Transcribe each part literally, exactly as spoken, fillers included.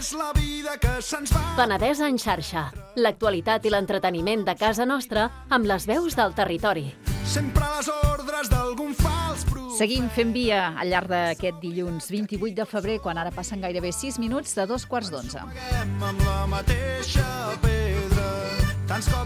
és la vida que se'ns va. Penedès en xarxa. L'actualitat i l'entreteniment de casa nostra amb les veus del territori. Sempre a les ordres d'algun fals profeta. Seguim fent via al llarg d'aquest dilluns vint-i-vuit de febrer, quan ara passen gairebé sis minuts de dos quarts d'onze. Amb la mateixa pedra.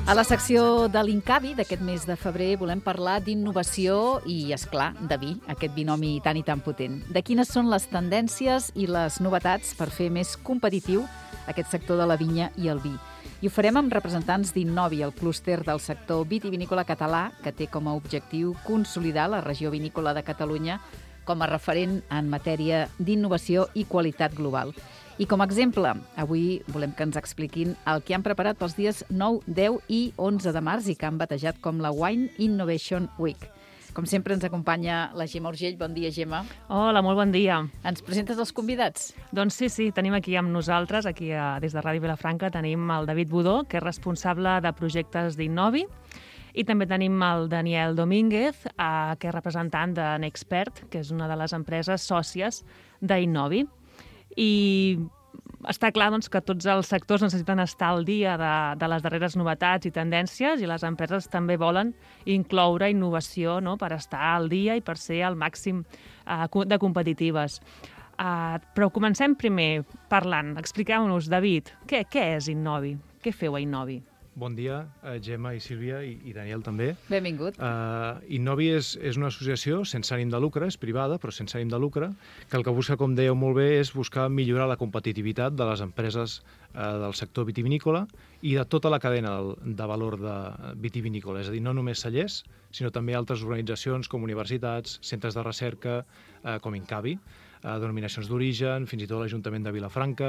A la secció de l'Incavi d'aquest mes de febrer volem parlar d'innovació i, esclar, de vi, aquest binomi tan i tan potent. De quines són les tendències i les novetats per fer més competitiu aquest sector de la vinya i el vi. I ho farem amb representants d'Innovi, el clúster del sector vitivinícola català, que té com a objectiu consolidar la regió vinícola de Catalunya com a referent en matèria d'innovació i qualitat global. I com a exemple, avui volem que ens expliquin el que han preparat pels dies nou, deu i onze de març i que han batejat com la Wine Innovation Week. Com sempre ens acompanya la Gemma Urgell. Bon dia, Gemma. Hola, molt bon dia. Ens presentes els convidats? Doncs sí, sí, tenim aquí amb nosaltres, aquí a, des de Ràdio Vilafranca, tenim el David Budó, que és responsable de projectes d'Innovi, i també tenim el Daniel Domínguez, eh, que és representant de Nexpert, que és una de les empreses sòcies d'Innovi. I està clar doncs, que tots els sectors necessiten estar al dia de, de les darreres novetats i tendències, i les empreses també volen incloure innovació, no?, per estar al dia i per ser al màxim eh, de competitives. Uh, però comencem primer parlant. Expliqueu-nos, David, què, què és Innovi? Què feu a Innovi? Bon dia, uh, Gemma i Sílvia i, i Daniel també. Benvingut. Uh, Innovi és, és una associació sense ànim de lucre, és privada, però sense ànim de lucre, que el que busca, com dèieu molt bé, és buscar millorar la competitivitat de les empreses uh, del sector vitivinícola i de tota la cadena de valor de vitivinícola. És a dir, no només cellers, sinó també altres organitzacions com universitats, centres de recerca, uh, com Incavi, denominacions d'origen, fins i tot l'Ajuntament de Vilafranca,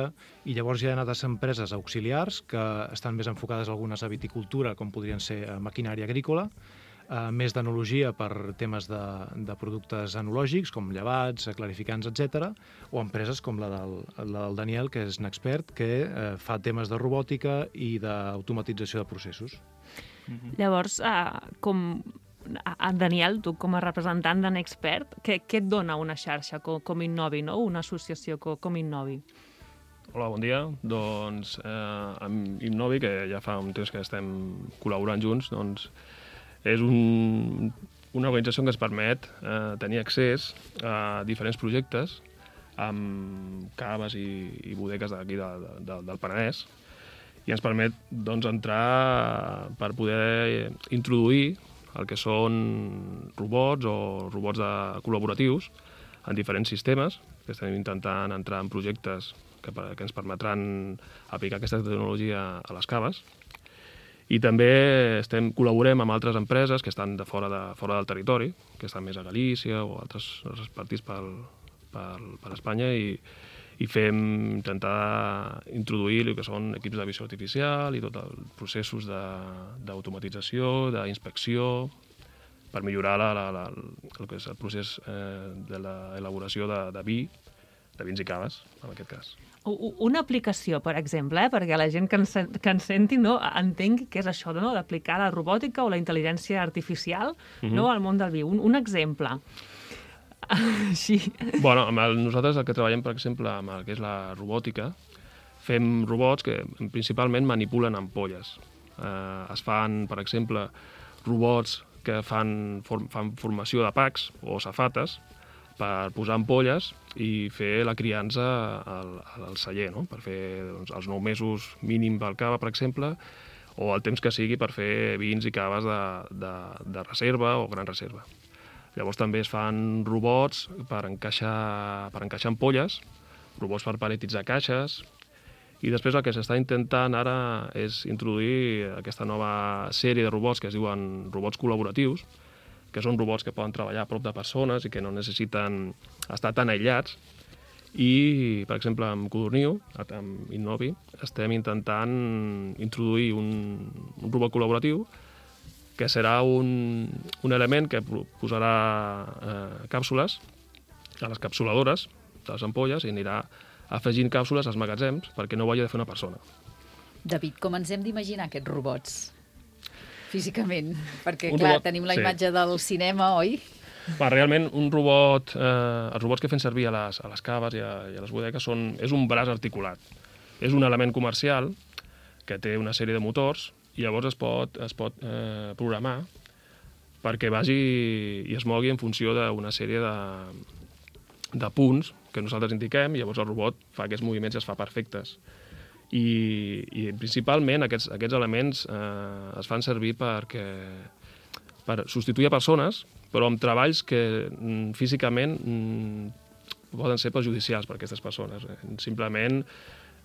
i llavors hi ha altres empreses auxiliars que estan més enfocades algunes a viticultura, com podrien ser maquinària agrícola, eh, més d'enologia per temes de, de productes enològics, com llevats, clarificants, etcètera, o empreses com la del, la del Daniel, que és Nexpert, que eh, fa temes de robòtica i d'automatització de processos. Mm-hmm. Llavors, eh, com... Daniel, tu com a representant de Nexpert, què, què et dona una xarxa com, com Innovi, no? Una associació com, com Innovi? Hola, bon dia. Doncs eh, amb Innovi, que ja fa un temps que estem col·laborant junts, doncs és un, una organització que ens permet eh, tenir accés a diferents projectes amb caves i, i bodegues d'aquí de, de, del Penedès, i ens permet doncs, entrar per poder introduir el que són robots o robots de col·laboratius en diferents sistemes, que estem intentant entrar en projectes que, que ens permetran aplicar aquesta tecnologia a les caves. I també estem, col·laborem amb altres empreses que estan de fora, de, fora del territori, que estan més a Galícia o altres, altres partits per, per, per Espanya, i, i fem intentar introduir el que són equips de visió artificial i tots els processos d'automatització, d'inspecció, per millorar la, la, la, el que és el procés eh, de l'elaboració de, de vi, de vins i caves, en aquest cas. Una aplicació, per exemple, eh, perquè la gent que ens, que ens senti no, entengui què és això, no, d'aplicar la robòtica o la intel·ligència artificial, mm-hmm. no, al món del vi. Un, un exemple. Sí. Bueno, amb el, nosaltres el que treballem, per exemple, amb el que és la robòtica, fem robots que principalment manipulen ampolles. Eh, es fan, per exemple, robots que fan, form, fan formació de packs o safates per posar ampolles i fer la criança al, al celler, no? Per fer doncs, els nou mesos mínim pel cava, per exemple, o el temps que sigui per fer vins i caves de, de, de reserva o gran reserva. Llavors també es fan robots per encaixar, per encaixar ampolles, robots per paletitzar caixes, i després el que s'està intentant ara és introduir aquesta nova sèrie de robots que es diuen robots col·laboratius, que són robots que poden treballar a prop de persones i que no necessiten estar tan aïllats. I, per exemple, amb Codorniu, amb Innovi, estem intentant introduir un, un robot col·laboratiu que serà un, un element que posarà eh, càpsules a les capsuladores de les ampolles i anirà afegint càpsules als magatzems perquè no ho hagi de fer una persona. David, com ens hem d'imaginar aquests robots físicament? Perquè, un clar, robot, tenim la sí. imatge del cinema, oi? Va, realment, un robot, eh, els robots que fem servir a les, a les caves i a, i a les bodegues són, és un braç articulat. És un element comercial que té una sèrie de motors i llavors es pot, es pot eh, programar perquè vagi i es mogui en funció d'una sèrie de, de punts que nosaltres indiquem i llavors el robot fa aquests moviments i es fa perfectes. I, i principalment aquests, aquests elements eh, es fan servir perquè, per substituir a persones, però amb treballs que mm, físicament mm, poden ser perjudicials per a aquestes persones. Eh? Simplement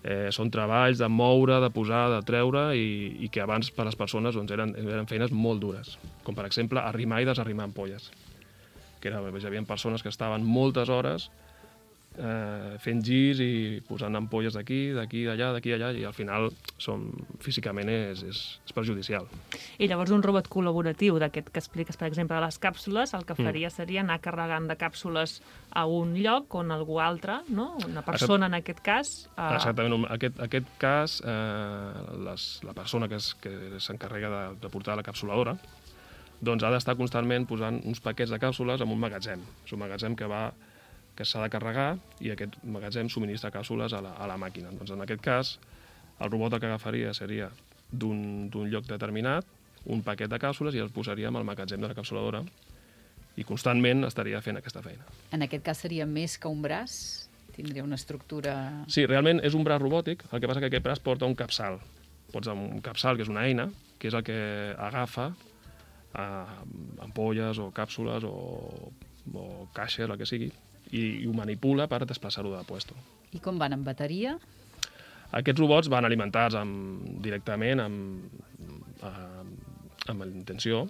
eh, són treballs de moure, de posar, de treure i, i que abans per a les persones doncs, eren, eren feines molt dures, com per exemple arrimar i desarrimar ampolles. Que era, hi havia persones que estaven moltes hores eh, fent girs i posant ampolles d'aquí, d'aquí, d'allà, d'aquí, d'allà, i al final som, físicament és, és, és perjudicial. I llavors un robot col·laboratiu d'aquest que expliques, per exemple, a les càpsules, el que faria Mm. seria anar carregant de càpsules a un lloc on algú altre, no? Una persona en aquest cas... Eh... Exactament, en aquest, aquest cas eh, les, la persona que, es, que s'encarrega de, de portar la capsuladora doncs ha d'estar constantment posant uns paquets de càpsules en un magatzem. És un magatzem que va que s'ha de carregar i aquest magatzem subministra càpsules a la, a la màquina. Doncs en aquest cas, el robot el que agafaria seria d'un lloc determinat un paquet de càpsules i el posaria amb el magatzem de la capsuladora i constantment estaria fent aquesta feina. En aquest cas seria més que un braç? Tindria una estructura... Sí, realment és un braç robòtic, el que passa que aquest braç porta un capçal. Pots un capçal, que és una eina, que és el que agafa eh, ampolles o càpsules o, o caixes, el que sigui, i, i ho manipula per desplaçar-ho de puesto. I com van, amb bateria? Aquests robots van alimentats amb, directament amb, eh, amb la intenció.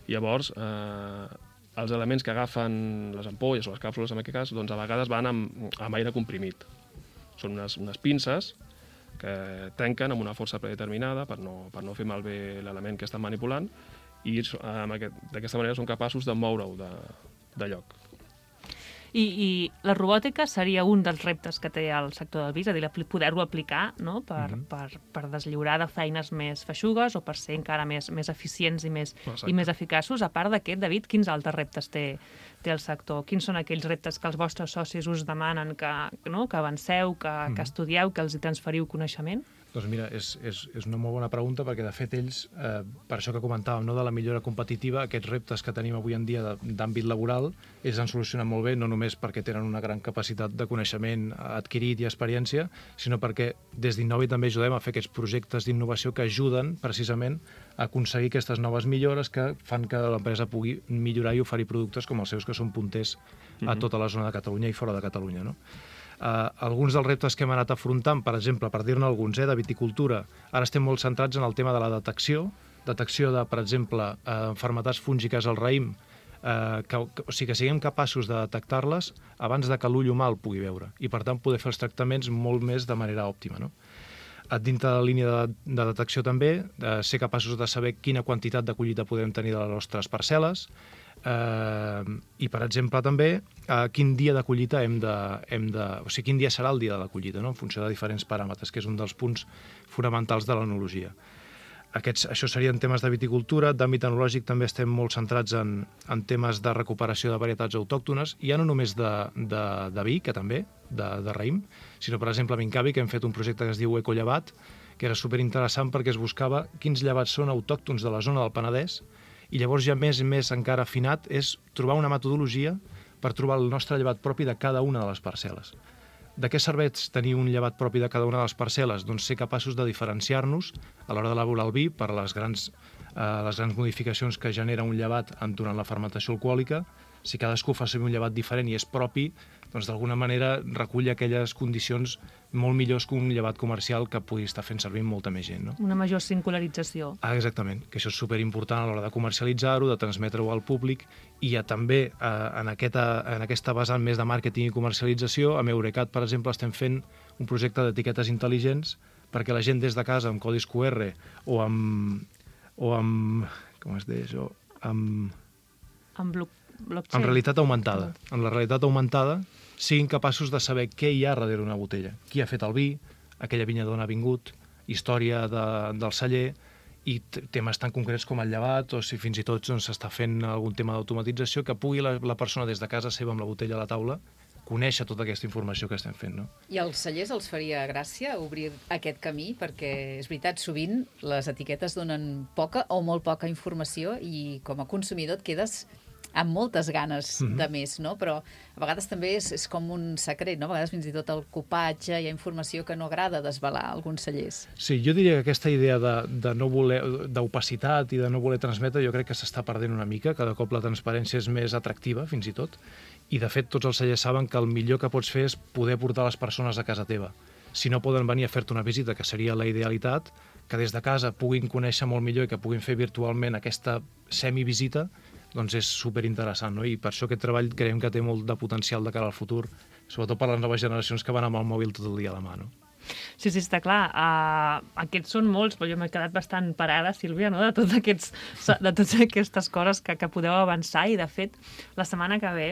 Llavors, eh, els elements que agafen les ampolles o les càpsules, en aquest cas, doncs a vegades van amb, amb aire comprimit. Són unes, unes pinces que tanquen amb una força predeterminada per no, per no fer malbé l'element que estan manipulant i eh, d'aquesta manera són capaços de moure-ho de, de lloc. I, I la robòtica seria un dels reptes que té el sector del vi, és a dir, poder-ho aplicar, no? per, mm-hmm. per, per deslliurar de feines més feixugues o per ser encara més, més eficients i més, i més eficaços. A part d'aquest, David, quins altres reptes té, té el sector? Quins són aquells reptes que els vostres socis us demanen que, no? que avanceu, que, mm-hmm. que estudieu, que els hi transferiu coneixement? Doncs mira, és, és, és una molt bona pregunta perquè, de fet, ells, eh, per això que comentàvem, no, de la millora competitiva, aquests reptes que tenim avui en dia d'àmbit laboral, ells han solucionat molt bé, no només perquè tenen una gran capacitat de coneixement adquirit i experiència, sinó perquè des d'Innovi també ajudem a fer aquests projectes d'innovació que ajuden, precisament, a aconseguir aquestes noves millores que fan que l'empresa pugui millorar i oferir productes com els seus, que són punters a tota la zona de Catalunya i fora de Catalunya, no? Uh, alguns dels reptes que hem anat afrontant, per exemple, per dir-ne alguns, eh, de viticultura, ara estem molt centrats en el tema de la detecció, detecció de, per exemple, uh, malalties fúngiques al raïm, uh, que, que, o sigui, que siguem capaços de detectar-les abans de que l'ull humà el pugui veure, i per tant poder fer els tractaments molt més de manera òptima, no? Dintre de la línia de, de detecció també, de ser capaços de saber quina quantitat de collita podem tenir de les nostres parcel·les, Uh, i, per exemple, també uh, quin dia de collita hem de, hem de... O sigui, quin dia serà el dia de la collita, no? En funció de diferents paràmetres, que és un dels punts fonamentals de l'enologia. Aquests, això serien temes de viticultura. D'àmbit enològic també estem molt centrats en, en temes de recuperació de varietats autòctones, i ja no només de, de, de vi, que també, de, de raïm, sinó, per exemple, a Vincavi, que hem fet un projecte que es diu Ecollevat, que era superinteressant perquè es buscava quins llevats són autòctons de la zona del Penedès, i llavors ja més i més encara afinat és trobar una metodologia per trobar el nostre llevat propi de cada una de les parcel·les. De què serveix tenir un llevat propi de cada una de les parcel·les? Doncs ser capaços de diferenciar-nos a l'hora d'elaborar el vi per les grans, eh, les grans modificacions que genera un llevat durant la fermentació alcohòlica. Si cadascú fa servir un llevat diferent i és propi, doncs d'alguna manera recull aquelles condicions molt millors que un llevat comercial que pugui estar fent servir molta més gent, no? Una major singularització. Ah, exactament, que això és superimportant a l'hora de comercialitzar-ho, de transmetre-ho al públic, i ja també eh, en, aquesta, en aquesta vessant més de màrqueting i comercialització, amb Eurecat, per exemple, estem fent un projecte d'etiquetes intel·ligents perquè la gent des de casa amb codis Q R o amb... o amb com es deia això? Amb... Amb bloc blockchain. En realitat augmentada. En la realitat augmentada siguin capaços de saber què hi ha darrere una botella. Qui ha fet el vi, aquella vinya d'on ha vingut, història de, del celler, i temes tan concrets com el llevat, o si fins i tot s'està doncs, fent algun tema d'automatització, que pugui la, la persona des de casa seva amb la botella a la taula conèixer tota aquesta informació que estem fent, no? I als cellers els faria gràcia obrir aquest camí, perquè és veritat, sovint les etiquetes donen poca o molt poca informació i com a consumidor et quedes amb moltes ganes Mhm. de més, no? Però a vegades també és, és com un secret, no? A vegades fins i tot el copatge, hi ha informació que no agrada desvelar a alguns cellers. Sí, jo diria que aquesta idea de, de no voler d'opacitat i de no voler transmetre, jo crec que s'està perdent una mica, cada cop la transparència és més atractiva, fins i tot, i de fet tots els cellers saben que el millor que pots fer és poder portar les persones a casa teva. Si no poden venir a fer-te una visita, que seria la idealitat, que des de casa puguin conèixer molt millor i que puguin fer virtualment aquesta semivisita, doncs és superinteressant, no? I per això aquest treball creiem que té molt de potencial de cara al futur, sobretot per les noves generacions que van amb el mòbil tot el dia a la mà, no? Sí, sí, està clar. Uh, aquests són molts, però jo m'he quedat bastant parada, Sílvia, no? de, tots aquests, de totes aquestes coses que, que podeu avançar i, de fet, la setmana que ve,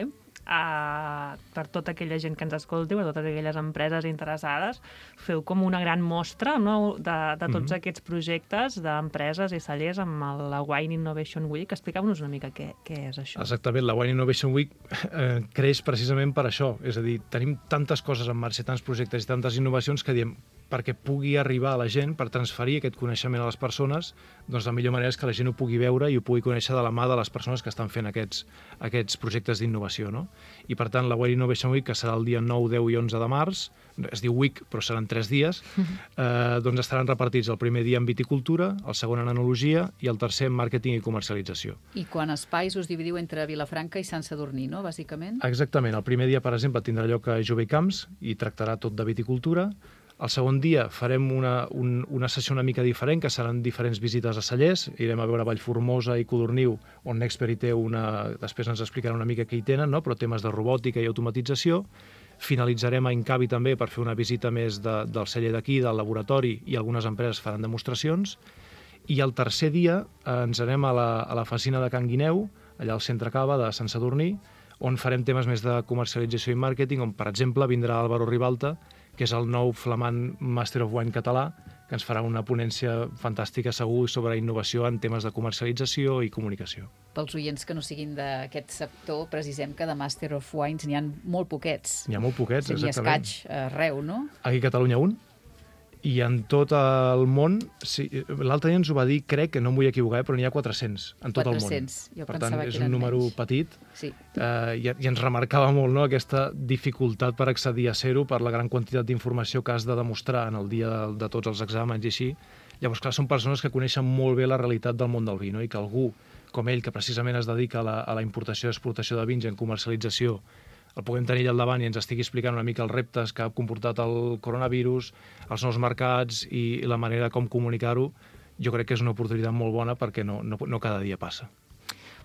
uh, per tota aquella gent que ens escolti, per totes aquelles empreses interessades, feu com una gran mostra, no? de, de tots Mhm. aquests projectes d'empreses i cellers amb el, la Wine Innovation Week. Expliqueu-nos una mica què, què és això. Exactament, la Wine Innovation Week eh, creix precisament per això, és a dir, tenim tantes coses en marxa, tants projectes i tantes innovacions que diem, perquè pugui arribar a la gent, per transferir aquest coneixement a les persones, doncs la millor manera és que la gent ho pugui veure i ho pugui conèixer de la mà de les persones que estan fent aquests, aquests projectes d'innovació, no? I per tant, la Wine Innovation Week, que serà el dia nou, deu i onze de març, es diu Week, però seran tres dies, eh, doncs estaran repartits el primer dia en viticultura, el segon en enologia i el tercer en màrqueting i comercialització. I quan espais us dividiu entre Vilafranca i Sant Sadurní, no?, bàsicament? Exactament. El primer dia, per exemple, tindrà lloc a Jove i Camps i tractarà tot de viticultura. El segon dia farem una, un, una sessió una mica diferent, que seran diferents visites a cellers. Irem a veure Vallformosa i Codorniu, on Nexpert hi té una... Després ens explicarà una mica què hi tenen, no? Però temes de robòtica i automatització. Finalitzarem a Incavi també per fer una visita més de, del celler d'aquí, del laboratori, i algunes empreses faran demostracions. I el tercer dia eh, ens anem a la, a la Facina de Can Guineu, allà al centre Cava de Sant Sadurní, on farem temes més de comercialització i màrqueting, on, per exemple, vindrà Álvaro Ribalta, que és el nou flamant Master of Wine català, que ens farà una ponència fantàstica segur sobre innovació en temes de comercialització i comunicació. Pels oients que no siguin d'aquest sector, precisem que de Master of Wines n'hi ha molt poquets. N'hi ha molt poquets, N'hi ha exactament. escaig arreu, no? Aquí a Catalunya un, i en tot el món, sí, l'altre dia ens ho va dir, crec, que no em vull equivocar, però n'hi ha quatre-cents en tot quatre-cents. el món. Jo Per pensava tant, és que un eren número menys. petit, Sí. eh, i, i ens remarcava molt, no?, aquesta dificultat per accedir a ser-ho per la gran quantitat d'informació que has de demostrar en el dia de, de tots els exàmens i així. Llavors, clar, són persones que coneixen molt bé la realitat del món del vi, no? I que algú com ell, que precisament es dedica a la, a la importació i exportació de vins i en comercialització, el puguem tenir allà al davant i ens estigui explicant una mica els reptes que ha comportat el coronavirus, els nous mercats i la manera com comunicar-ho, jo crec que és una oportunitat molt bona perquè no, no, no cada dia passa.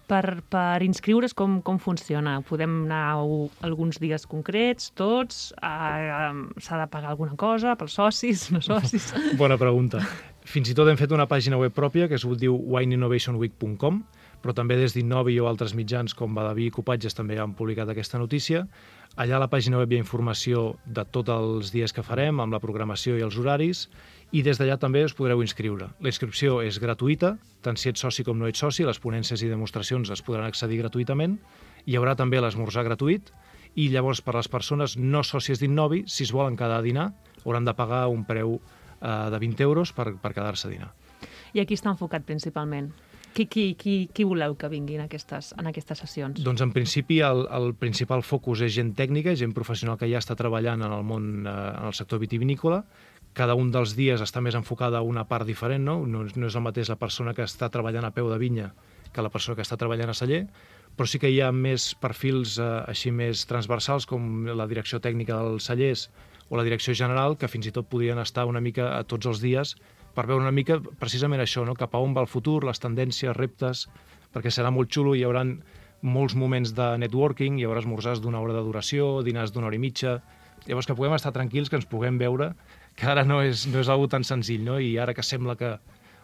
Per, per inscriure's, com, com funciona? Podem anar a alguns dies concrets, tots? Uh, S'ha de pagar alguna cosa pels socis, no socis? Bona pregunta. Fins i tot hem fet una pàgina web pròpia que es diu wine innovation week punt com, però també des d'Innovi o altres mitjans com Badaví i Copatges també han publicat aquesta notícia. Allà a la pàgina web hi ha informació de tots els dies que farem, amb la programació i els horaris, i des d'allà també us podreu inscriure. La inscripció és gratuïta, tant si ets soci com no ets soci, les ponències i demostracions es podran accedir gratuïtament, hi haurà també l'esmorzar gratuït, i llavors per les persones no sòcies d'Innovi, si es volen quedar a dinar, hauran de pagar un preu eh, de vint euros per, per quedar-se a dinar. I aquí està enfocat principalment? Qui, qui, qui, qui voleu que vinguin a aquestes, en aquestes sessions? Doncs en principi el, el principal focus és gent tècnica, gent professional que ja està treballant en el món, eh, en el sector vitivinícola. Cada un dels dies està més enfocada a una part diferent, no? No, no és el mateix la persona que està treballant a peu de vinya que la persona que està treballant a celler, però sí que hi ha més perfils eh, així més transversals, com la direcció tècnica dels cellers o la direcció general, que fins i tot podrien estar una mica a tots els dies per veure una mica precisament això, no? Cap a on va el futur, les tendències, reptes, perquè serà molt xulo, hi haurà molts moments de networking, hi haurà esmorzars d'una hora de duració, dinars d'una hora i mitja, llavors que puguem estar tranquils, que ens puguem veure, que ara no és, no és algo tan senzill, no? I ara que sembla que,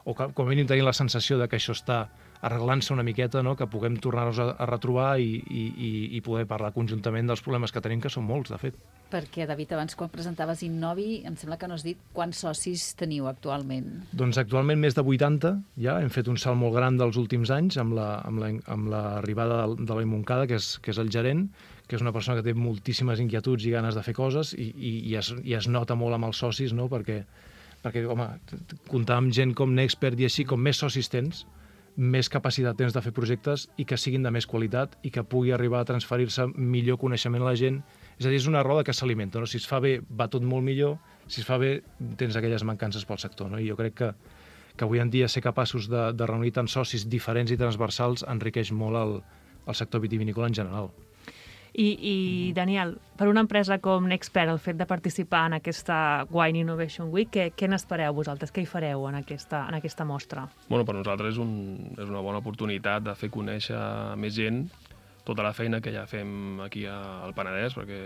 o que com a mínim tenim la sensació de que això està arreglant-se una miqueta, no? Que puguem tornar-nos a, a retrobar i, i, i poder parlar conjuntament dels problemes que tenim, que són molts, de fet. Perquè, David, abans quan presentaves Innovi, em sembla que no has dit quants socis teniu actualment. Doncs actualment més de vuitanta, ja hem fet un salt molt gran dels últims anys amb la, amb la, amb l'arribada de l'Eloi Moncada, que és, que és el gerent, que és una persona que té moltíssimes inquietuds i ganes de fer coses i, i, i, es, i es nota molt amb els socis, no? perquè, perquè home, comptar amb gent com Nexpert i així, com més socis tens, més capacitat tens de fer projectes i que siguin de més qualitat i que pugui arribar a transferir-se millor coneixement a la gent. És a dir, és una roda que s'alimenta, no? Si es fa bé, va tot molt millor, si es fa bé, tens aquelles mancances pel sector, no? I jo crec que, que avui en dia ser capaços de, de reunir tants socis diferents i transversals enriqueix molt el, el sector vitivinícola en general. I, I, Daniel, per una empresa com Nexpert, el fet de participar en aquesta Wine Innovation Week, què, què n'espereu vosaltres? Què hi fareu en aquesta, en aquesta mostra? Bueno, per nosaltres és, un, és una bona oportunitat de fer conèixer més gent tota la feina que ja fem aquí al Penedès, perquè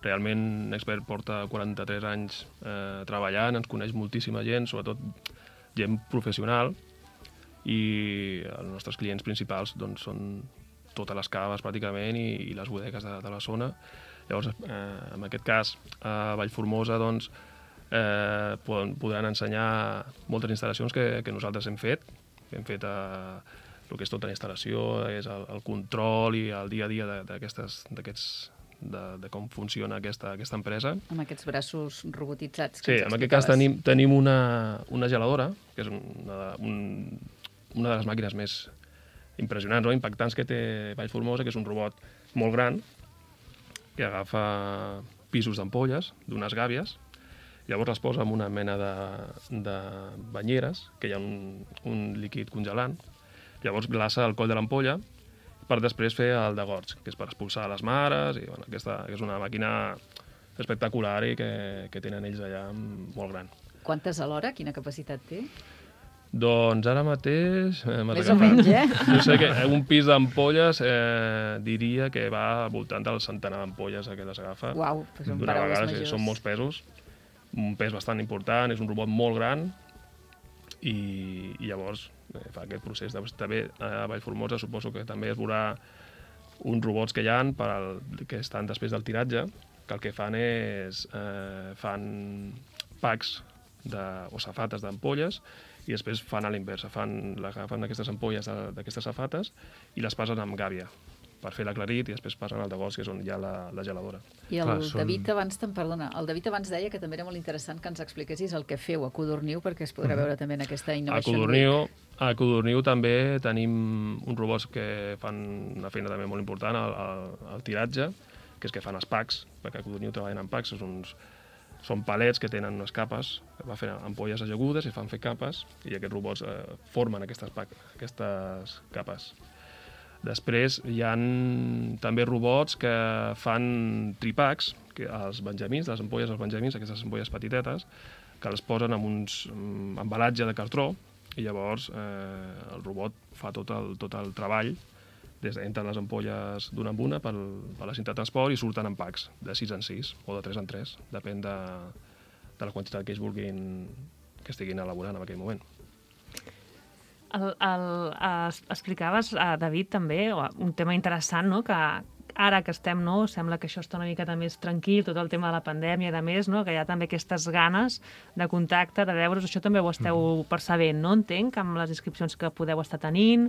realment Nexpert porta quaranta-tres anys eh, treballant, ens coneix moltíssima gent, sobretot gent professional, i els nostres clients principals doncs, són totes les caves pràcticament i, i les bodegues de, de la zona. Llavors, eh, en aquest cas, a Vallformosa doncs, eh, poden, podran ensenyar moltes instal·lacions que, que nosaltres hem fet. Hem fet eh, el que és tota la instal·lació, és el, el control i el dia a dia d'aquestes d'aquests de, de com funciona aquesta, aquesta empresa. Amb aquests braços robotitzats. Sí, en aquest cas tenim, tenim una, una geladora, que és una, un, una de les màquines més impressionants o impactants que té Vallformosa, que és un robot molt gran que agafa pisos d'ampolles d'unes gàbies, llavors les posa en una mena de, de banyeres, que hi ha un, un líquid congelant, llavors glaça el coll de l'ampolla per després fer el degorg, que és per expulsar les mares, i bueno, aquesta és una màquina espectacular i que, que tenen ells allà molt gran. Quantes alhora? Quina capacitat té? Doncs ara mateix... Eh, Més o menys, eh? Jo sé que un pis d'ampolles eh, diria que va al voltant del centenar d'ampolles que les agafa. Uau, doncs són d'una paraules vegada, majors. sí, són molts pesos, un pes bastant important, és un robot molt gran i, i llavors eh, fa aquest procés. També a Vallformosa suposo que també es veurà uns robots que hi ha per al, que estan després del tiratge, que el que fan és eh, fan packs de, o safates d'ampolles i després fan a l'inversa, fan, agafen aquestes ampolles d'aquestes safates i les passen amb gàbia per fer l'aclarit i després passen al degorg, que és on hi ha la, la geladora. I el Clar, són- David abans, te'n perdona, el David abans deia que també era molt interessant que ens expliquessis el que feu a Codorniu, perquè es podrà veure també en aquesta A Innovation Codorniu, Week. a Codorniu també tenim uns robots que fan una feina també molt important al, al, al tiratge, que és que fan els packs, perquè a Codorniu treballen amb packs, són uns són palets que tenen unes capes, que va fer ampolles ajagudes i fan fer capes, i aquests robots eh, formen aquestes, aquestes capes. Després hi ha també robots que fan tripacks, que els benjamins, les ampolles dels benjamins, aquestes ampolles petitetes, que les posen en uns en embalatge de cartró, i llavors eh, el robot fa tot el, tot el treball des d'entren les ampolles d'una en una per, per la cinta de transport i surten en packs, de sis en sis o de tres en tres, depèn de, de la quantitat que ells vulguin que estiguin elaborant en aquell moment. El, el, es, explicaves, a David, també, un tema interessant, no?, que ara que estem, no, sembla que això està una miqueta més tranquil, tot el tema de la pandèmia i de més, no?, que hi ha també aquestes ganes de contacte, de veure's, això també ho esteu mm. percebent, no?, entenc, amb les inscripcions que podeu estar tenint,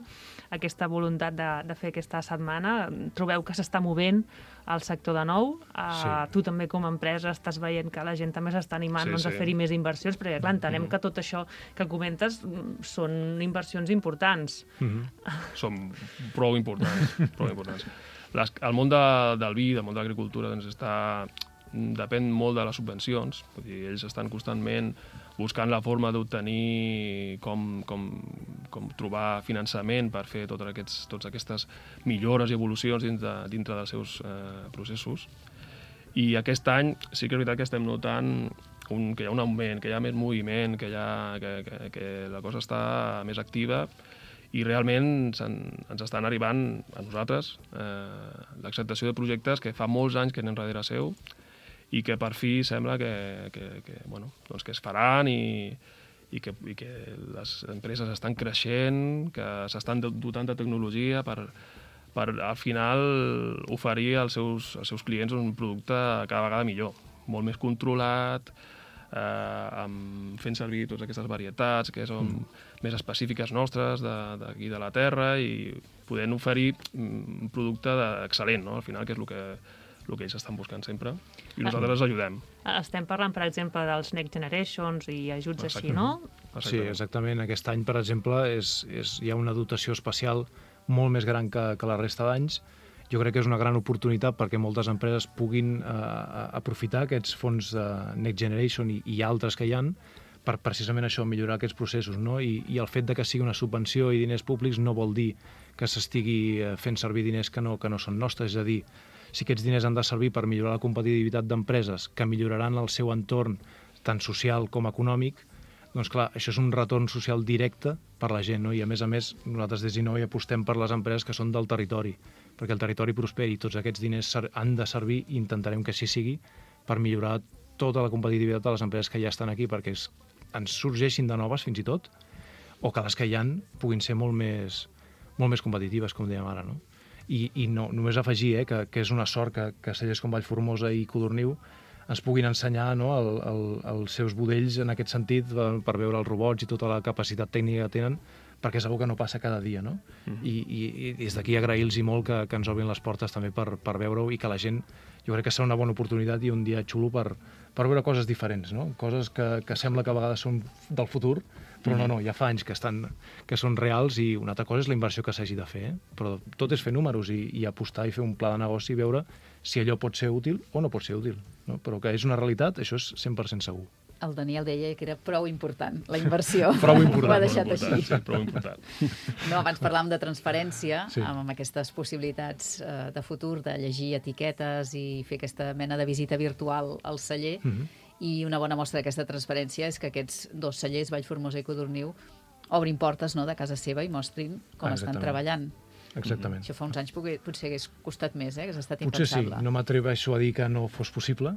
aquesta voluntat de, de fer aquesta setmana, trobeu que s'està movent el sector de nou? Uh, Sí. Tu també com a empresa estàs veient que la gent també s'està animant Sí, doncs, sí. a fer-hi més inversions, perquè clar, entenem Mm. que tot això que comentes mm, són inversions importants. Mm-hmm. Són prou importants, prou importants. Les, el món de, del vi, del món de l'agricultura, doncs està, depèn molt de les subvencions. Vull dir, ells estan constantment buscant la forma d'obtenir com, com, com trobar finançament per fer totes, aquests, totes aquestes millores i evolucions dintre, dintre dels seus eh, processos. I aquest any sí que és veritat que estem notant un, que hi ha un augment, que hi ha més moviment, que, hi ha, que, que, que la cosa està més activa, i realment ens estan arribant a nosaltres eh, l'acceptació de projectes que fa molts anys que anem darrere seu i que per fi sembla que, que, que, bueno, doncs que es faran i, i, que, i que les empreses estan creixent, que s'estan dotant de tecnologia per, per al final oferir als seus, als seus clients un producte cada vegada millor, molt més controlat, eh, amb, fent servir totes aquestes varietats que són mm. més específiques nostres d'aquí de, de la terra i podent oferir un producte excel·lent, no? Al final, que és el que, el que ells estan buscant sempre, i nosaltres els ajudem. Estem parlant, per exemple, dels Next Generations i ajuts Exacte. així, no? Exactament. Sí, exactament. Aquest any, per exemple, és, és, hi ha una dotació especial molt més gran que, que la resta d'anys. Jo crec que és una gran oportunitat perquè moltes empreses puguin eh, aprofitar aquests fons de Next Generation i, i altres que hi han per precisament això, millorar aquests processos, no? I, i el fet de que sigui una subvenció i diners públics no vol dir que s'estigui fent servir diners que no, que no són nostres, és a dir, si aquests diners han de servir per millorar la competitivitat d'empreses que milloraran el seu entorn tant social com econòmic, doncs clar, això és un retorn social directe per la gent, no? I a més a més, nosaltres des d'Innovi apostem per les empreses que són del territori, perquè el territori prosperi i tots aquests diners han de servir i intentarem que així sigui per millorar tota la competitivitat de les empreses que ja estan aquí, perquè és, ens sorgeixin de noves fins i tot, o que les que hi ha puguin ser molt més, molt més competitives, com dèiem ara, no? I, i no, només afegir eh, que, que és una sort que, que cellers com Vallformosa i Codorniu ens puguin ensenyar, no, el, el, els seus budells en aquest sentit per, per veure els robots i tota la capacitat tècnica que tenen, perquè és una que no passa cada dia, no? Mm-hmm. I, i, i des d'aquí agrair-los molt que, que ens obrin les portes també per, per veure-ho i que la gent, jo crec que serà una bona oportunitat i un dia xulo per, per veure coses diferents, no? Coses que, que sembla que a vegades són del futur, però no, no, ja fa anys que, estan, que són reals i una altra cosa és la inversió que s'hagi de fer, eh? Però tot és fer números i, i apostar i fer un pla de negoci i veure si allò pot ser útil o no pot ser útil, no? Però que és una realitat, això és cent per cent segur. El Daniel deia que era prou important, la inversió. Prou important. Ho ha deixat prou important, així. sí, prou important. No, abans parlàvem de transparència, Sí. amb aquestes possibilitats eh, de futur, de llegir etiquetes i fer aquesta mena de visita virtual al celler. Mm-hmm. I una bona mostra d'aquesta transparència és que aquests dos cellers, Vallformosa i Codorniu, obrin portes, no, de casa seva i mostrin com Ah, estan exactament. treballant. Exactament. Això fa uns anys potser, potser hagués costat més, eh? Hagués estat Potser sí, impensable. no m'atreveixo a dir que no fos possible,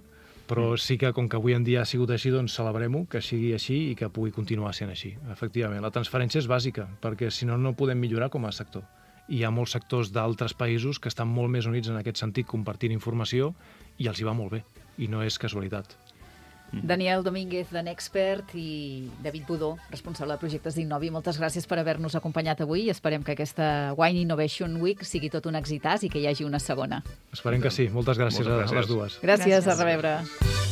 però sí que com que avui en dia ha sigut així, doncs celebrem-ho, que sigui així i que pugui continuar sent així. Efectivament, la transferència és bàsica, perquè si no, no podem millorar com a sector. I hi ha molts sectors d'altres països que estan molt més units en aquest sentit, compartint informació, i els hi va molt bé, i no és casualitat. Daniel Domínguez, de Nexpert, i David Budó, responsable de projectes d'Innovi. Moltes gràcies per haver-nos acompanyat avui i esperem que aquesta Wine Innovation Week sigui tot un èxitàs i que hi hagi una segona. Esperem que sí. Moltes gràcies, Moltes a, a les gràcies. dues. Gràcies, Gràcies. a reveure.